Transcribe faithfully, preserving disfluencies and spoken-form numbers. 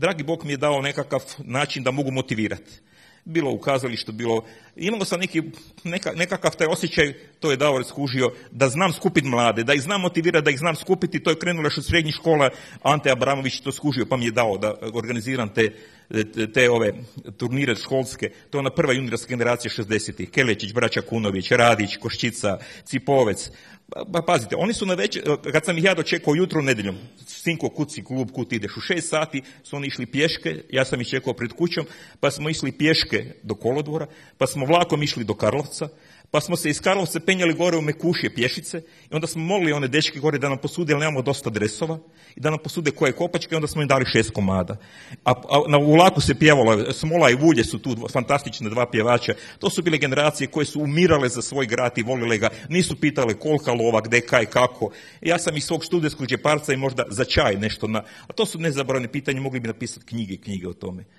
dragi Bog mi je dao nekakav način da mogu motivirati. Bilo u kazalištu, bilo... Imao sam neki, neka, nekakav taj osjećaj, to je Davor skužio, da znam skupiti mlade, da ih znam motivirati, da ih znam skupiti. To je krenulo još od srednjih škola, Ante Abramović to skužio, pa mi je dao da organiziram te, te, te ove turnire školske. To je ona prva juniorska generacija šezdesetih. Kelečić, braća Kunović, Radić, Koščica, Cipovec. Pa pazite, oni su na večer, kad sam ih ja dočekao jutro nedjeljom, sinko, kuci, klub, kut ideš, u šest sati su oni išli pješke, ja sam ih čekao pred kućom, pa smo išli pješke do kolodvora, pa smo vlakom išli do Karlovca, pa smo se iz Karlovca penjali gore u Mekušje pješice i onda smo molili one dečke gore da nam posude, jer nemamo dosta dresova, i da nam posude koje kopačke, i onda smo im dali šest komada. A, a na vlaku se pjevalo, Smola i Vulje su tu fantastične dva pjevača. To su bile generacije koje su umirale za svoj grad i volile ga, nisu pitale kolika lova, gde, kaj, kako. Ja sam iz svog studentskog džeparca i možda za čaj nešto na... A to su nezaboravne pitanje, mogli bi napisati knjige i knjige o tome.